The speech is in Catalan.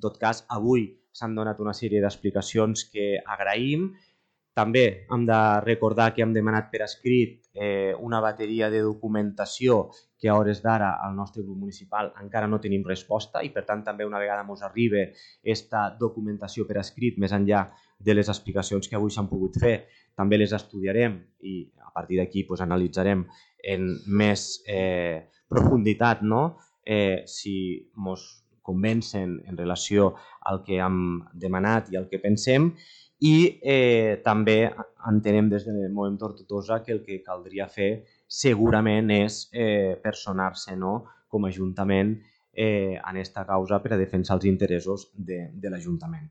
tot cas, avui s'han donat una sèrie d'explicacions que agraïm. També hem de recordar que hem demanat per escrit una bateria de documentació que a hores d'ara al nostre grup municipal encara no tenim resposta i per tant també una vegada ens arribi aquesta documentació per escrit més enllà de les explicacions que avui s'han pogut fer, també les estudiarem i a partir d'aquí analitzarem en més profunditat si ens convencen en relació al que hem demanat i al que pensem. I també entenem des del Moviment Tortosa que el que caldria fer segurament és personar-se com a Ajuntament en aquesta causa per a defensar els interessos de l'Ajuntament.